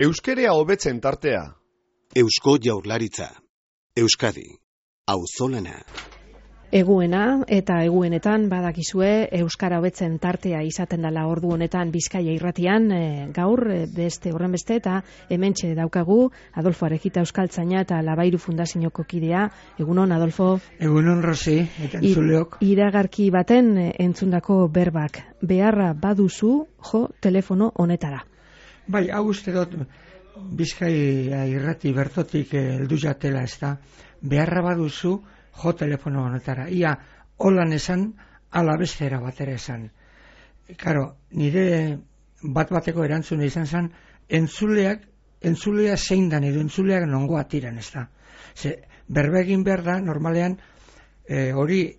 Euskerea hobetzen tartea. Eusko Jaurlaritza. Euskadi. Auzolana. Eguena eta eguenetan badakizue euskara hobetzen tartea izaten dela ordu honetan Bizkaia irratian, gaur beste horrenbeste eta hementxe daukagu Adolfo Arejita Euskaltzaina eta Labairu Fundazioko kidea. Egunon, Adolfo. Egunon, Rosi, eta entzuleok. Iragarki baten entzundako berbak. Beharra baduzu jo telefono honetara. Bai, hau uste dut Bizkaia irrati bertotik heldu jatela, ez da. Beharra baduzu jo telefono honetara. Ia holan esan, ala bestera batera esan. Karo, nire bat-bateko erantzuna izan zen, entzulea zein dan edo entzuleak nongoa tiran, ez da. Ze, berba egin behar da, normalean, hori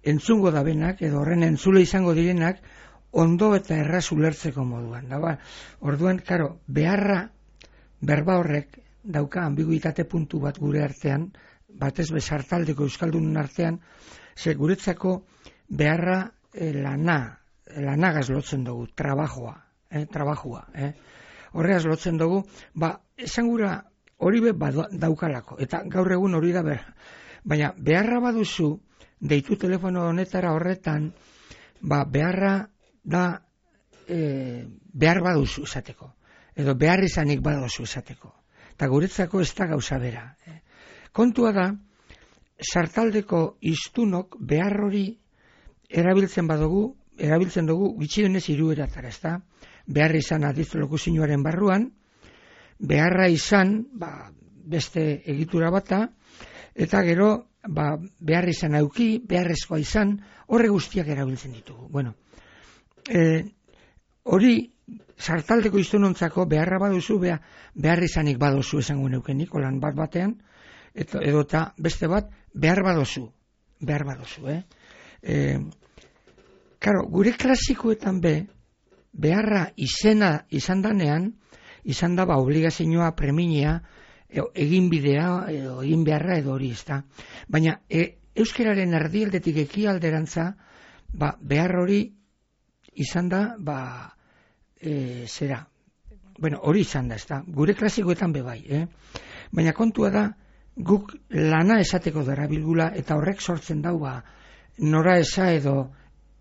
entzungo da benak, edo horren entzule izango direnak, ondo eta erraz ulertzeko moduan. Da, orduan, karo, beharra, berba horrek, dauka ambiguitate puntu bat gure artean, batez bezartaldeko euskaldunen artean, ze guretzako beharra lanagaz lotzen dugu, trabajua. Horregaz lotzen dugu, esan gura hori daukalako, eta gaur egun hori da behar. Baina beharra baduzu, deitu telefono honetara horretan, beharra da behar baduzu esateko, edo behar izanik baduzu esateko. Eta guretzako ez da gauza bera. Kontua da, sartaldeko hiztunok behar hori erabiltzen dugu gutxienez 3 eratara, ez da? Behar izan adiz lokuzioaren barruan, beharra izan, beste egitura bata, eta gero, behar izan auki, beharrezkoa izan, horre guztiak erabiltzen ditugu. Bueno, hori, sartaldeko hiztunontzako beharra baduzu, behar izanik baduzu esango neukenik, olan bat-batean, edo eta beste bat, behar baduzu. Karo, gure klasikoetan beharra izan danean, izan da obligazioa, preminia, egin bidea, egin beharra edo hori ez da. Baina, euskararen erdialdetik ekialderantza, behar hori izan da, zera. Bueno, hori izan da, ez da. Gure klasikoetan bai, Baina kontua da, guk lana esateko darabilgula eta horrek sortzen dau nora esa edo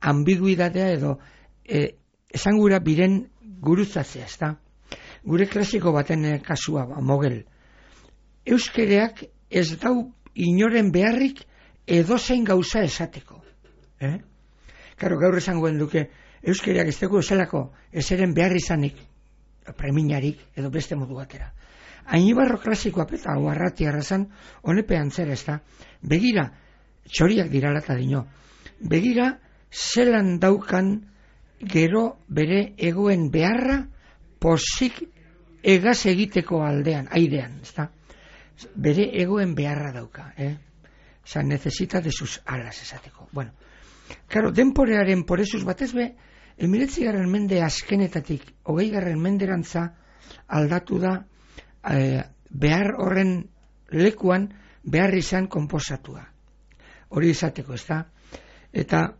ambiguidadea edo esan gura biren gurutzatzea, ez da. Gure klasiko baten kasua, mogel. Euskereak ez dau inoren beharrik edozein gauza esateko. Karo, gaur esangoen duke, euskereak ez dugu esalako ezeren behar izanik, preminarik edo beste modu batera. Ainibarro klasikoa peta hau arrati arrazan, honepean zer ez da. Begira, txoriak dirala eta dino, begira zelan daukan gero bere egoen beharra posik egaz egiteko aldean, airean, ez da. Bere egoen beharra dauka, Osa, necesita de sus alas esateko. Bueno, claro, denporearen porezuz batez 19. mende azkenetatik 20. menderantza aldatu da behar horren lekuan behar izan konposatua. Hori izateko, ez da? Eta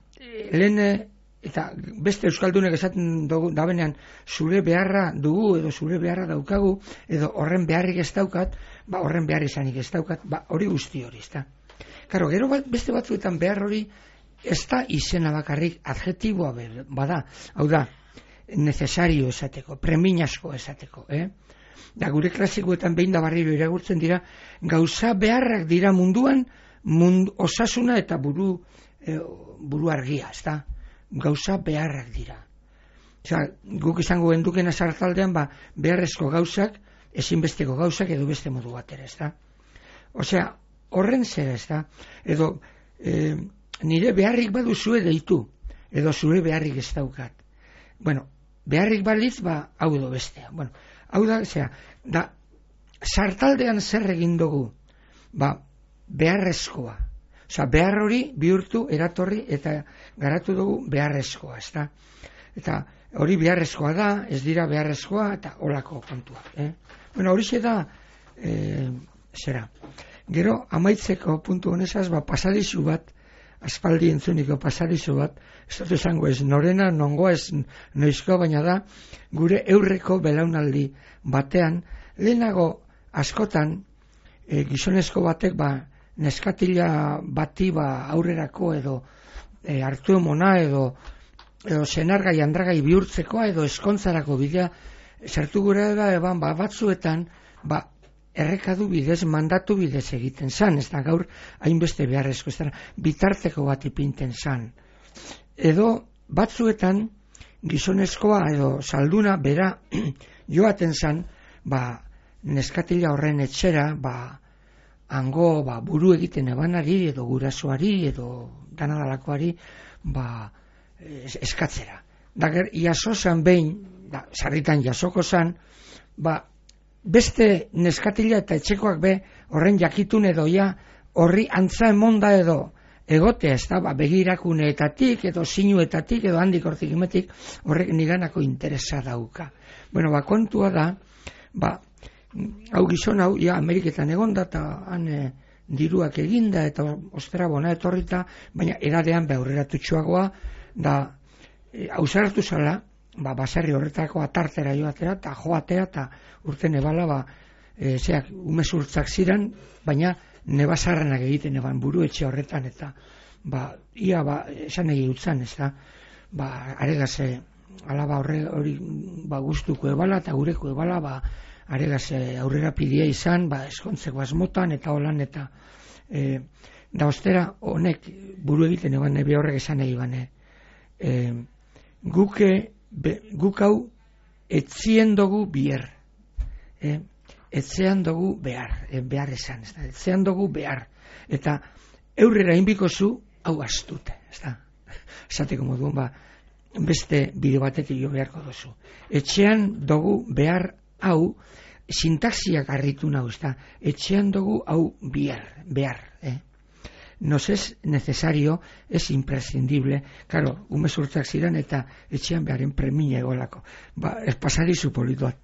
eta beste euskaldunek esaten dabenean zure beharra dugu edo zure beharra daukagu edo horren beharrik ez daukat, horren behar izanik ez daukat, hori guzti hori, ez da? Karo, gero beste batzuetan behar hori ez da izena bakarrik adjetiboa bada, hau da, necesario esateko, preminasko esateko, Da gure klasikoetan behin da barriro iragurtzen dira, gauza beharrak dira munduan, osasuna eta buru argia, ez da? Gauza beharrak dira. Osea, guk izango gendukena sartaldean, beharrezko gauzak, ezinbesteko gauzak edo beste modu batera, ez da? Osea, horren zera, ez da? Edo, nire beharrik baduzue deitu, edo zure beharrik ez daukat. Bueno, beharrik balitz, hau edo bestea. Bueno, hau da, sartaldean zer egin dugu, beharrezkoa. Osea, behar hori bihurtu, eratorri, eta garatu dugu beharrezkoa, ez da? Eta hori beharrezkoa da, ez dira beharrezkoa, eta holako kontua. Bueno, hori da, zera. Gero, amaitzeko puntu honezaz, pasadizu bat, aspaldi entzuniko pasadizo bat, ez dut esango ez norena, nongoa ez noizko, baina da, gure eurreko belaunaldi batean, lehenago askotan, gizonezko batek, neskatila bati aurrerako edo hartu emona edo senargai, andragai bihurtzekoa edo eskontzarako bidea sartu gure da eban batzuetan errekadu bidez, mandatu bidez egiten zan, ez da gaur hainbeste beharrezko, ez da bitarteko bat ipinten zan. Edo batzuetan gizonezkoa edo salduna bera joaten zan, neskatila horren etxera, hango buru egiten ebanari edo gurasoari edo danadalakoari eskatzera. Dager, jaso zan behin, sarritan jasoko zan, beste neskatila eta etxekoak horren jakitun edo horri antza emonda edo egotea, ez da, begirakuneetatik edo sinuetatik edo handik hortik imetik horrek niganako interesa dauka. Bueno, kontua da, hau gizon hau, Ameriketan egonda eta han diruak eginda eta ostera bona etorrita, baina edadean aurreratutxoagoa da hausartu zala, baserri horretako atartera joatea eta joatea eta urte nebala umezurtzak ziren, baina nebazarranak egiten eban buru etxe horretan eta esan egi utzan, ez da, aregaze alaba hori guztuko ebala eta gureko ebala aregaze aurrera pidea izan, eskontzeko asmotan eta holan eta da ostera honek buru egiten eban nebe horrek esan egi bane guk hau etzien dugu bier etzean dugu behar esan, etzean dugu behar eta eurrera inbiko zu hau astute, ez da esateko moduan beste bide batetik jo beharko duzu etxean dugu behar hau sintaxiak harritu nau, ez da etxean dugu hau behar nos es necesario, es imprescindible, claro, umezurtzak ziren eta etxean beharen premia egolako ez pasarizu polituat.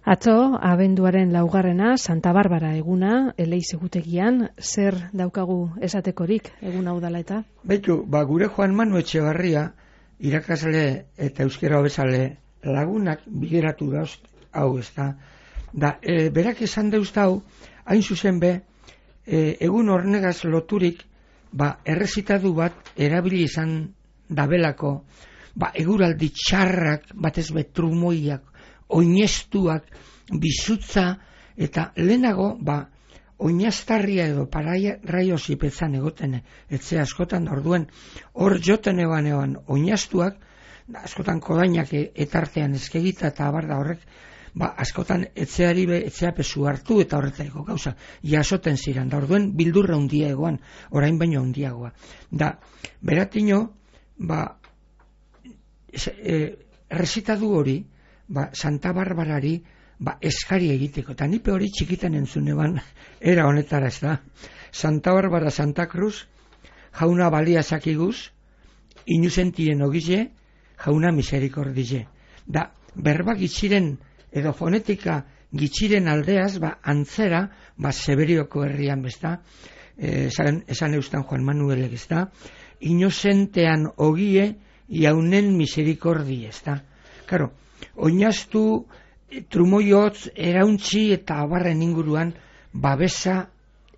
Atzo, abenduaren 4. Santa Barbara eguna, Eleiz egutegian, zer daukagu esatekorik egun hau dela eta? Beitu, gure Juan Manu Etxebarria, irakasle eta euskera hobezale lagunak bigeratu dauz, hau ez da, berak esan deuz hau, hain zuzen egun hornegaz loturik, errezitadu bat erabili izan dabelako, eguraldi txarrak, batez trumoiak, oinestuak, bizutza, eta lehenago, oinastarria edo paraio zipetzan egoten, etxe askotan, orduen, hor joten eban oinastuak, askotan kodainak etartean eskegita eta abarda horrek, askotan etxeapezu hartu eta horretariko gauza, jasoten ziren, da orduen bildurra hundia egoan, orain baino hundiagoa. Da, beratino, errezitadu hori, Santa Barbarari eskari egiteko, eta nipe hori txikitan entzun eban, era honetara ez da, Santa Barbara Santa Cruz, jauna balia sakiguz, inuzentien ogize, jauna miserikordize. Da, berba gitziren, edo fonetika gitziren aldeaz, antzera, Severioko herrian bezta, esan eustan Juan Manuelek ezta, inozentean ogie, jaunen miserikordi ezta. Karo, oinaztu, trumoiotz, erauntzi eta abarren inguruan, babesa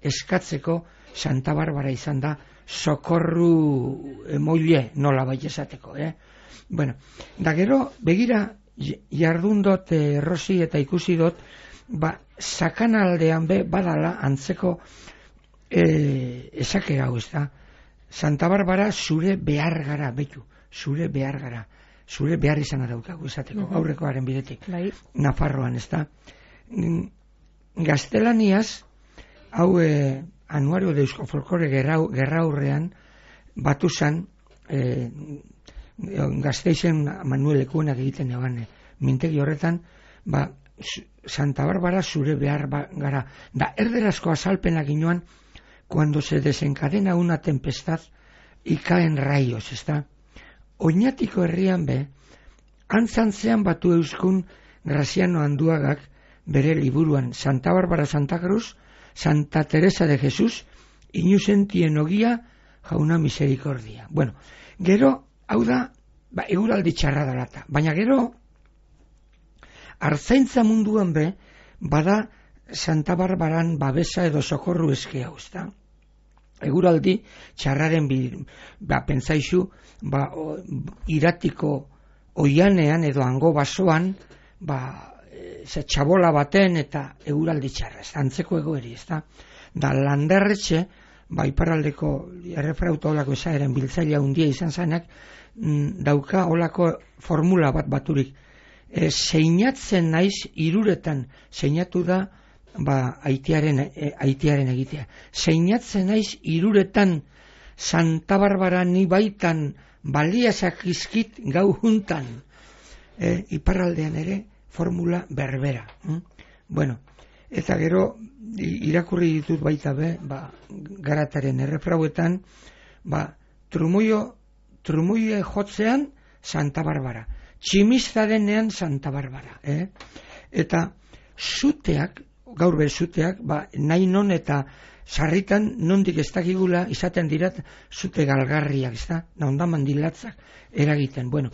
eskatzeko Santa Barbara izan da, sokorru emoile nola bai esateko, Bueno, da gero, begira, jardun dut errosi eta ikusi dut, sakanaldean badala antzeko esakera hau ez da. Santa Barbara zure behar gara, betu, zure behar gara. Zure behar izan daukagu esateko, aurrekoaren bidetik. Nafarroan ez da. Gaztelaniaz, hau anuario de Eusko Folklore gerraurrean, batu zan, Gasteizen Manuel Ekuenak egiten eban mintegi horretan, Santa Barbara zure behar gara. Da, erderazko azalpenak inoan, cuando se desencadena una tempestad y caen rayos, ez da? Oñatiko herrian antzantzean batu euskun Graziano Anduagak bere liburuan Santa Barbara Santa Cruz, Santa Teresa de Jesús, inuzentien ogia, jauna miserikordia. Bueno, gero, hau da, eguraldi txarra dalata, baina gero, artzaintza munduan be, bada Santa Barbaran babesa edo sokorru eske hau, ezta? Eguraldi txarraren pentsaizu, iratiko oianean edo hango basoan, txabola baten eta eguraldi txarra, ez antzeko egoeri, ez da? Da Landerretxe, iparraldeko errefrauta olako esaeren biltzailea hundia izan zanak, dauka olako formula bat baturik. Seinatzen naiz iruretan, seinatu da aitiaren egitea. Seinatzen naiz iruretan Santa Barbara ni baitan baliazak izkit gau juntan. Iparraldean ere formula berbera. Bueno, eta gero irakurri ditut baita be, Garataren errefrauetan, trumoie jotzean Santa Barbara. Tximista denean Santa Barbara. Eta zuteak, gaur be zuteak, nahi non eta sarritan nondik ez dakigula izaten dirat zute galgarriak, ez da? Nahonda mandilatzak eragiten. Bueno,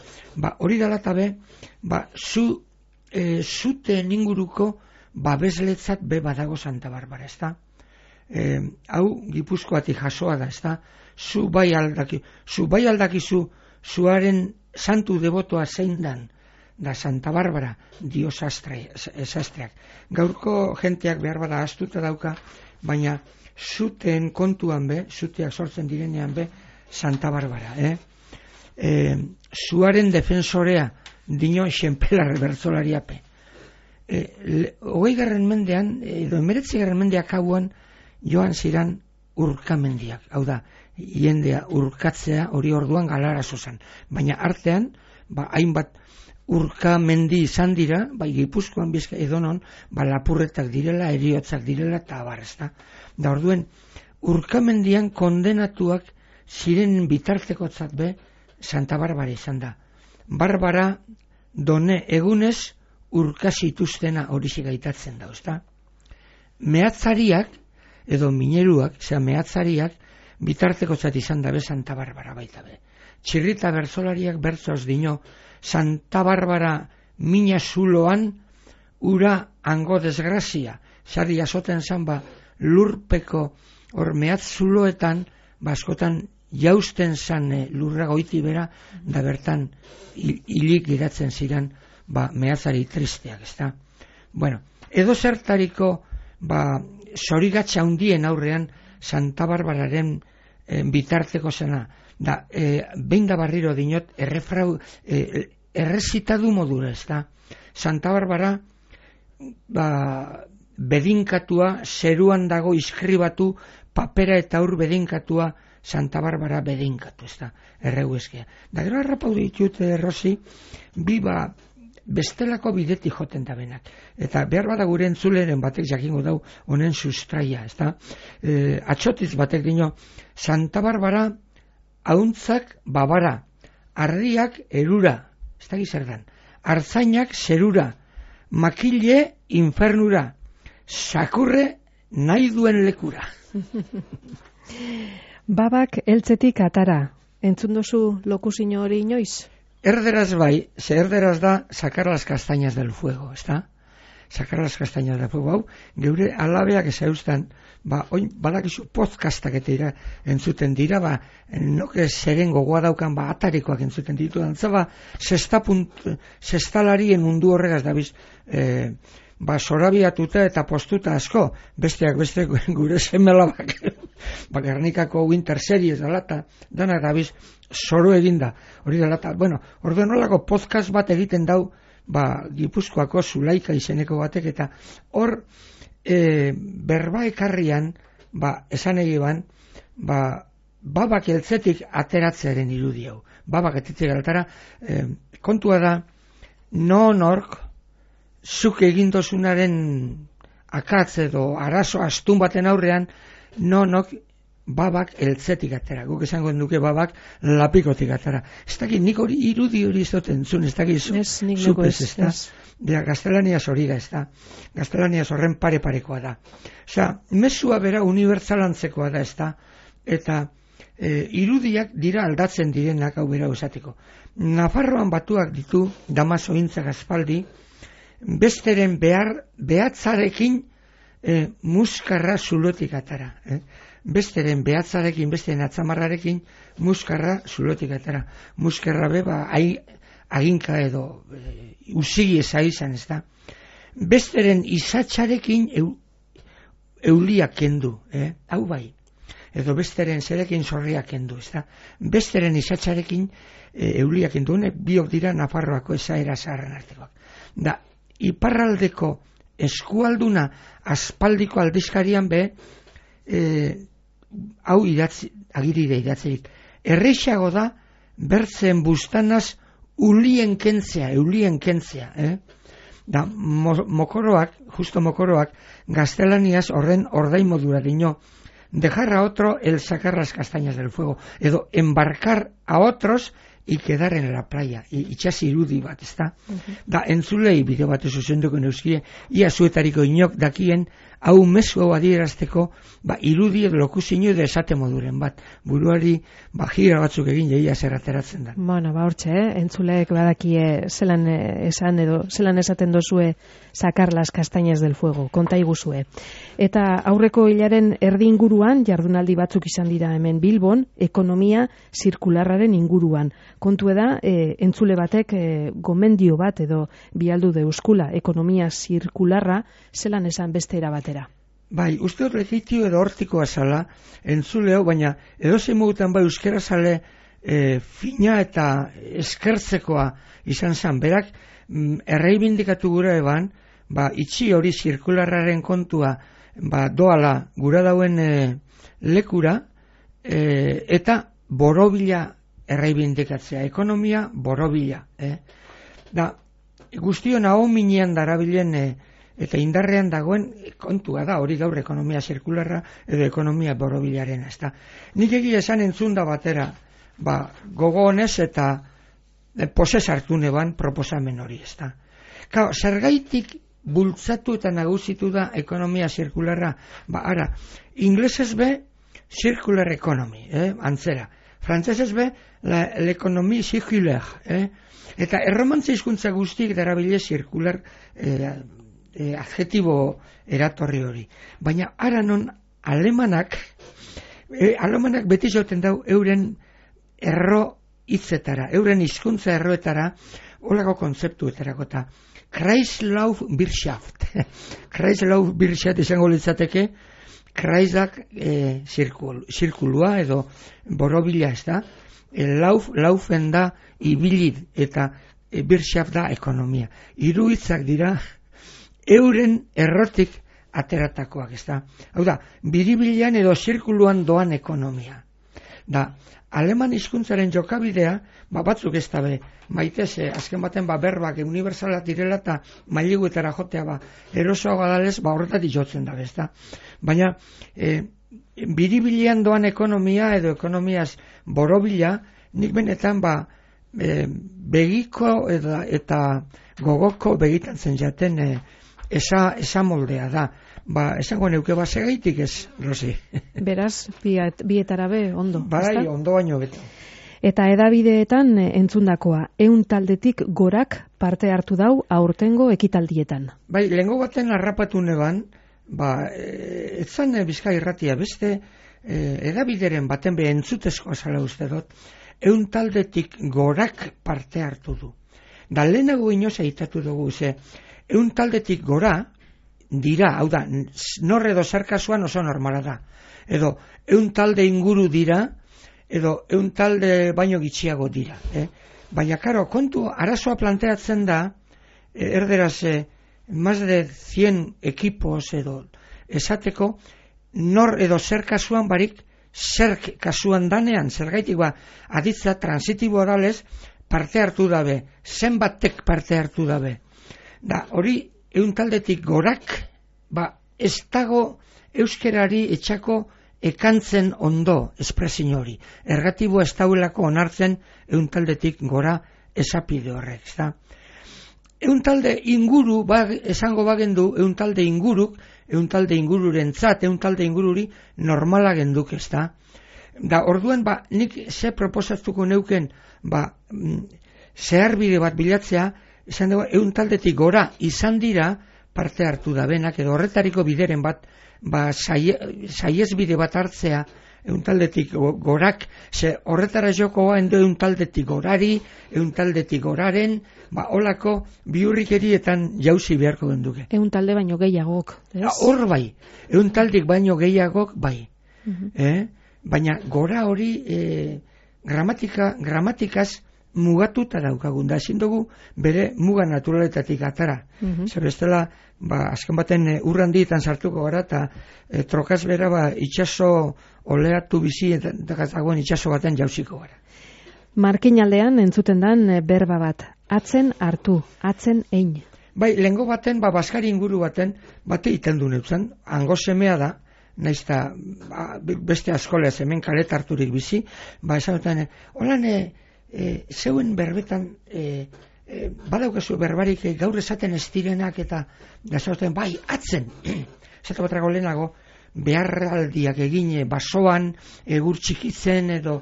hori dalata be, zute inguruko babesletzat be badago Santa Barbara, ez da? Hau Gipuzkoatik jasoa da, ez da? Zu bai aldakizu zuaren santu debotoa zein dan, da Santa Barbara, dio sastreak. Gaurko jenteak behar bada astuta dauka, baina zuten kontuan be, zuteak sortzen direnean be, Santa Barbara. Zuaren defensorea, dino xenpelar bertzolariape. 20. mendean, edo 19. mendeak hauan, joan ziran urkamendiak. Hau da, jendea urkatzea hori orduan galara zozan. Baina artean, hainbat urkamendi izan dira, Gipuzkoan bizka edonon, lapurretak direla, eriotzak direla, eta abarrezta. Da orduen, urkamendian kondenatuak ziren bitartekotzat be, Santa Barbara izan da. Barbara done egunez urkazituztena hori gaitatzen da, ezta? Mehatzariak, edo mineruak, mehatzariak, bitartekotzat izan dabe Santa Barbara baita be. Txirrita bertzolariak bertzoz dino, Santa Barbara mina zuloan, ura hango desgrazia. Sarri azoten zan lurpeko hor mehatz zuloetan, askotan jausten zan lurra goiti bera, da bertan hilik geratzen ziren mehatzari tristeak, ezta? Bueno, edo zertariko zorigatza handien aurrean Santa Barbararen bitarteko zena, da behin da barriro dinot errezitadu modura, ezta? Santa Barbara bedinkatua, zeruan dago iskribatu, papera eta ur bedinkatua, Santa Barbara bedinkatu, ezta? Erregu eskia. Da gero harrapau ditut, Rosi, bestelako bidetik joten da benak. Eta behar bada gure entzuleren batek jakingo dau honen sustraia, ezta? Atxotiz batek dino, Santa Barbara hauntzak babara, ardiak erura, ez da gizerdan, artzainak zerura, makile infernura, sakurre nahi duen lekura. Babak eltzetik atara, entzun dozu lokusino hori inoiz? Erderaz bai, erderaz da sacar las castañas del fuego, ezta? Sacar las castañas del fuego, hau, geure alabeak ezauztan, oin badakizu podcastak eta entzuten dira, noke zeren gogoa daukan, atarikoak entzuten ditu, antza, sestalarien mundu horregaz dabiz, sorabiatuta eta postuta asko, besteak beste gure semelabak, Gernikako Winter Series dalata, dana dabiz, zoro eginda, hori dalata, orduen nolako podcast bat egiten dau, Gipuzkoako Zulaika izeneko batek, eta hor, berba ekarrian, esan egiban, babak eltzetik ateratzearen irudi hau. Babak eltzetik alatara, kontua da, nork, zuk egindozunaren akatz edo arazo astun baten aurrean, nonok babak eltzetik atera. Guk esango duke babak lapikotik atera. Ez dakit, nik hori irudi hori ez dut entzun, ez dakit zupez, ez da. Gaztelaniaz hori da, ez da. Gaztelaniaz horren pare-parekoa da. Osea, mesua bera unibertsal antzekoa da, ez da. Eta irudiak dira aldatzen direnak hau bera esateko. Nafarroan batuak ditu Damaso-intzak aspaldi, besteren behatzarekin muskarra zulotik atara. Besteren behatzarekin, besteren atzamarrarekin muskarra zulotik atara. Muskarra beba aginka edo usigi eza izan, ez da. Besteren izatxarekin euliak kendu, hau bai. Edo besteren zerekin zorriak kendu, ez da. Besteren izatxarekin euliak kendu, biok dira Nafarroako esaera zaharren artekoak. Da, iparraldeko eskualduna aspaldiko aldizkarian hau agirire idatzeik. Erreixago da, bertzen bustanaz eulien kentzea. Da, justo mokoroak, gaztelaniaz horren ordainmodura dino, dejar a otro el sacar las castañas del fuego, edo embarcar a otros y quedar en la playa, itxas irudi bat, ezta? Da, entzulei bideo bat zuzenduko neuzkie, ia zuetariko inok dakien, hau mezu hau adierazteko, irudi edo lokuzio edo esate moduren bat, buruari gira batzuk egin jaia zer ateratzen da. Bueno, hortxe, entzuleek badakie zelan esan edo zelan esaten dozue sacar las castañas del fuego, konta iguzue. Eta aurreko hilaren erdi inguruan, jardunaldi batzuk izan dira hemen Bilbon, ekonomia zirkularraren inguruan. Kontu da, entzule batek gomendio bat edo bialdu deuskula, ekonomia zirkularra zelan esan beste erabatera. Bai, uste hor legitio edo hortikoa zala, entzuleo, baina edozein modutan bai euskera zale fina eta eskertzekoa izan zan. Berak, erreibindikatu gura eban, itxi hori zirkularraren kontua doala gura dauen lekura, eta borobila erreibindikatzea, ekonomia borobila. Da, guztion hau minean darabilen eta indarrean dagoen kontua da, hori gaur ekonomia zirkularra edo ekonomia borobilaren, ez da. Nik egia esan entzunda batera, gogo honez eta posez hartu neban proposamen hori, ez da. Zergaitik bultzatu eta nagusitu da ekonomia zirkularra, ara, inglesez be, circular economy, antzera. Frantzesez be, l'economie circulaire, eta erromantza hizkuntza guztiek darabile zirkular adjetibo eratorri hori. Baina ara non alemanak beti joten dau euren erro hitzetara, euren hizkuntza erroetara, holako kontzeptuetarako eta Kreislaufwirtschaft. Kreislaufwirtschaft izango litzateke, Kreisak zirkulua edo borobila, ez da, laufen da ibilid eta Wirtschaft da ekonomia. Hiru hitzak dira euren errotik ateratakoak, ez da. Hau da, biribilean edo zirkuluan doan ekonomia. Da, aleman hizkuntzaren jokabidea, batzuk ez da be, maitez, azken baten berbak unibertsalak direla eta mailiguetara jotea erosoago adalez, horretatik jotzen da, ez da. Baina, biribilean doan ekonomia edo ekonomiaz borobila, nik benetan begiko eta gogoko begitantzen jaten esa moldea da. Esango neuke segaitik ez, Rosi. Beraz, bietara be, ondo. Bai, ondo baino beto. Eta edabideetan entzundakoa, 100 taldetik gorak parte hartu dau aurtengo ekitaldietan. Bai, lehengo baten harrapatu neban, etzan Bizkai Irratia beste edabideren baten be entzutezkoa zala uste dut, 100 taldetik gorak parte hartu du. Da lehenago inoz eitatu dugu, 100 taldetik gora dira, hau da, nor edo zer kasuan oso normala da. Edo 100 talde inguru dira, edo 100 talde baino gitxiago dira. Baina, karo, kontu arazoa planteatzen da, erderaz, más de 100 equipos edo esateko, nor edo zer kasuan barik, zer kasuan danean, zergaitik aditza transitiboa dalez, parte hartu dabe, zenbatek parte hartu dabe. Da, hori, 100 taldetik gorak, ez dago euskerari etxako ekantzen ondo espresio hori. Ergatibo ez dauelako onartzen 100 taldetik gora esapide horrek, ez da. 100 talde inguru, esango bagendu, 100 talde inguruk, 100 talde ingururentzat, 100 talde ingururi normala genduk, ez da. Da orduan nik ze proposatuko neuken zeharbide bat bilatzea, esan dugu, 100 taldetik gora izan dira parte hartu da benak, edo horretariko bideren bat, saiesbide bat hartzea, 100 taldetik gorak, ze horretara jokoa endo 100 taldetik gorari, 100 taldetik goraren, holako biurrikerietan jauzi beharko genduke. 100 talde baino gehiagok, ez? Hor bai, 100 taldik baino gehiagok bai. Baina gora hori gramatikaz mugatuta daukagun, da ezin dugu bere muga naturaletatik atara. Zer bestela, azken baten urrandietan sartuko gara, eta trokaz bera itxaso oleatu bizi, eta dagoen itxaso baten jauziko gara. Markinaldean entzuten dan berba bat, atzen hartu, atzen ein. Bai, lehengo baten, baskari inguru baten, bate iten du neutzen, hango semea da, naizta beste askolea hemen karet harturik bizi, esan duten, holan zeuen berbetan badaukazu berbarik gaur esaten ez direnak, eta esaten, bai, atzen, esatu batrako lehenago, beharraldiak egin basoan, egur txikitzen, edo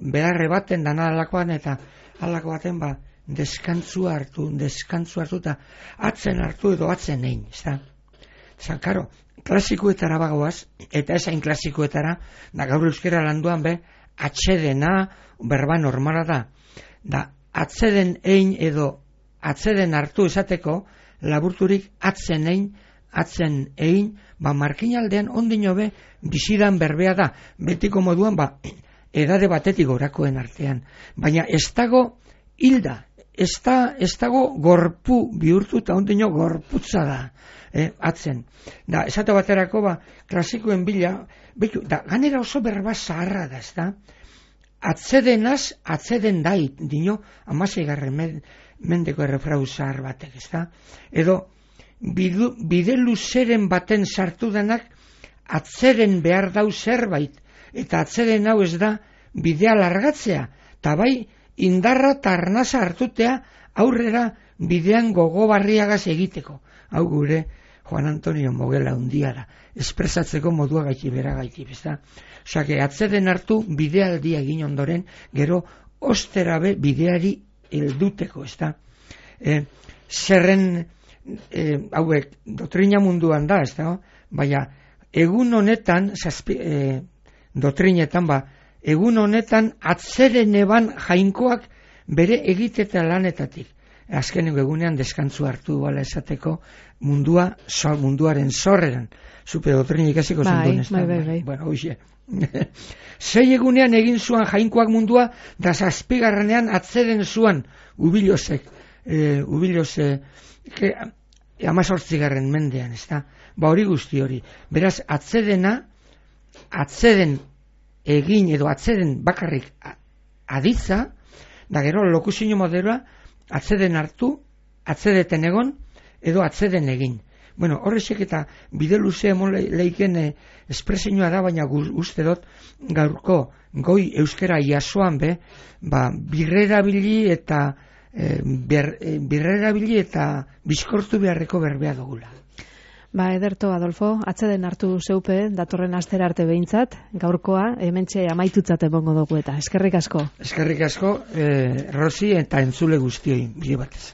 beharre baten dana alakoan, eta alako baten, deskantzua hartu, eta atzen hartu edo atzen egin, ez da? Zan, karo, klasikoetara bagoaz, eta esain klasikoetara, da gaur euskera landuan atsedena, berba normala da atzeden egin edo atzeden hartu esateko, laburturik atzen egin, markinaldean ondino bizidan berbea da, betiko moduan, edade batetik gorakoen artean, baina ez dago hilda, ez dago gorpu bihurtu, eta ondino gorputza da, atzen. Da, esate baterako, klasikoen bila, da, ganera oso berba zaharra da, ez da? Atzedenaz, atzeden dait, dino, 16. Mendeko errefrau zahar batek, ez da? Edo, bide luzeren baten sartu denak, atzeden behar dau zerbait, eta atzeden hau ez da, bidea largatzea, eta bai, indarra eta arnaza hartutea, aurrera bidean gogobarriagaz egiteko. Hau gure, Juan Antonio Mogela undia da, espresatzeko modua gaiti bera gaiti, bezta? Osake, atzeden hartu bidealdia egin ondoren, gero osterabe bideari helduteko, ezta? Zerren, hauek, doktrina munduan da, ezta? Baina, egun honetan, doktrinetan, egun honetan atzeden eban jainkoak bere egiteta lanetatik. Azkeneko egunean deskantzu hartu bala esateko munduaren zorreran. Zupe doktrin ikasiko zendun ez da. Bai. Bueno, hoxe. 6 egunean egin zuan jainkoak mundua, da 7. atzeden zuan Ubilosek. Ubilose 18. mendean, ez da. Hori guzti hori. Beraz, atzeden egin edo atzeden bakarrik aditza, da gero lokuzio modeloa, atzeden hartu, atzedeten egon, edo atzeden egin. Bueno, horrezek eta bide luze emon leiken espresioa da, baina uste dut gaurko goi euskera jasoan birrerabili eta bizkortu beharreko berbea dugula. Ederto, Adolfo, atzeden hartu zeupe, datorren astera arte behintzat, gaurkoa, hementxe amaitutzat emongo dugu eta. Eskerrik asko. Eskerrik asko, Rosi eta entzule guztioi, bide batez.